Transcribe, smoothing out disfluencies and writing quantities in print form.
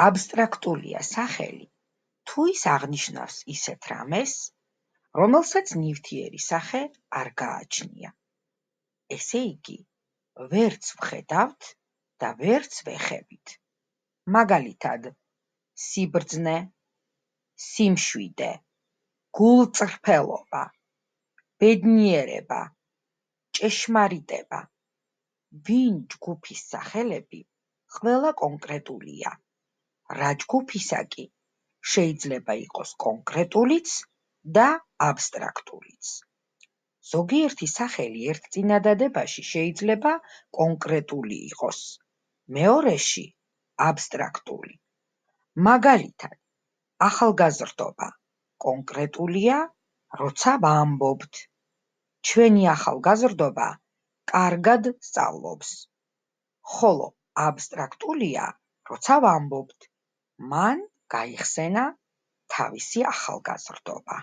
აბსტრაქტულია სახელი თუ ის აღნიშნავს ისეთ რამეს, რომელსაც ნივთიერი სახე არ გააჩნია. ესე იგი, ვერც ვხედავთ და ვერც ვეხებით. მაგალითად, სიბრძნე, სიმშვიდე, გულწრფელობა, ბედნიერება, ჭეშმარიტება. ვინ ჯგუფის სახელები ყველა კონკრეტულია, რა ჯგუფისა კი შეიძლება იყოს კონკრეტულიც და აბსტრაქტულიც. ზოგიერთი სახელი ერთწინადადებაში შეიძლება კონკრეტული იყოს, მეორეში აბსტრაქტული. მაგალითად, ახალგაზრდობა კონკრეტულია, როცა ვამბობთ. ჩვენი ახალგაზრდობა კარგად სწავლობს, ხოლო აბსტრაქტულია, როცა ვამბობთ, მან გაიხსენა თავისი ახალგაზრდობა.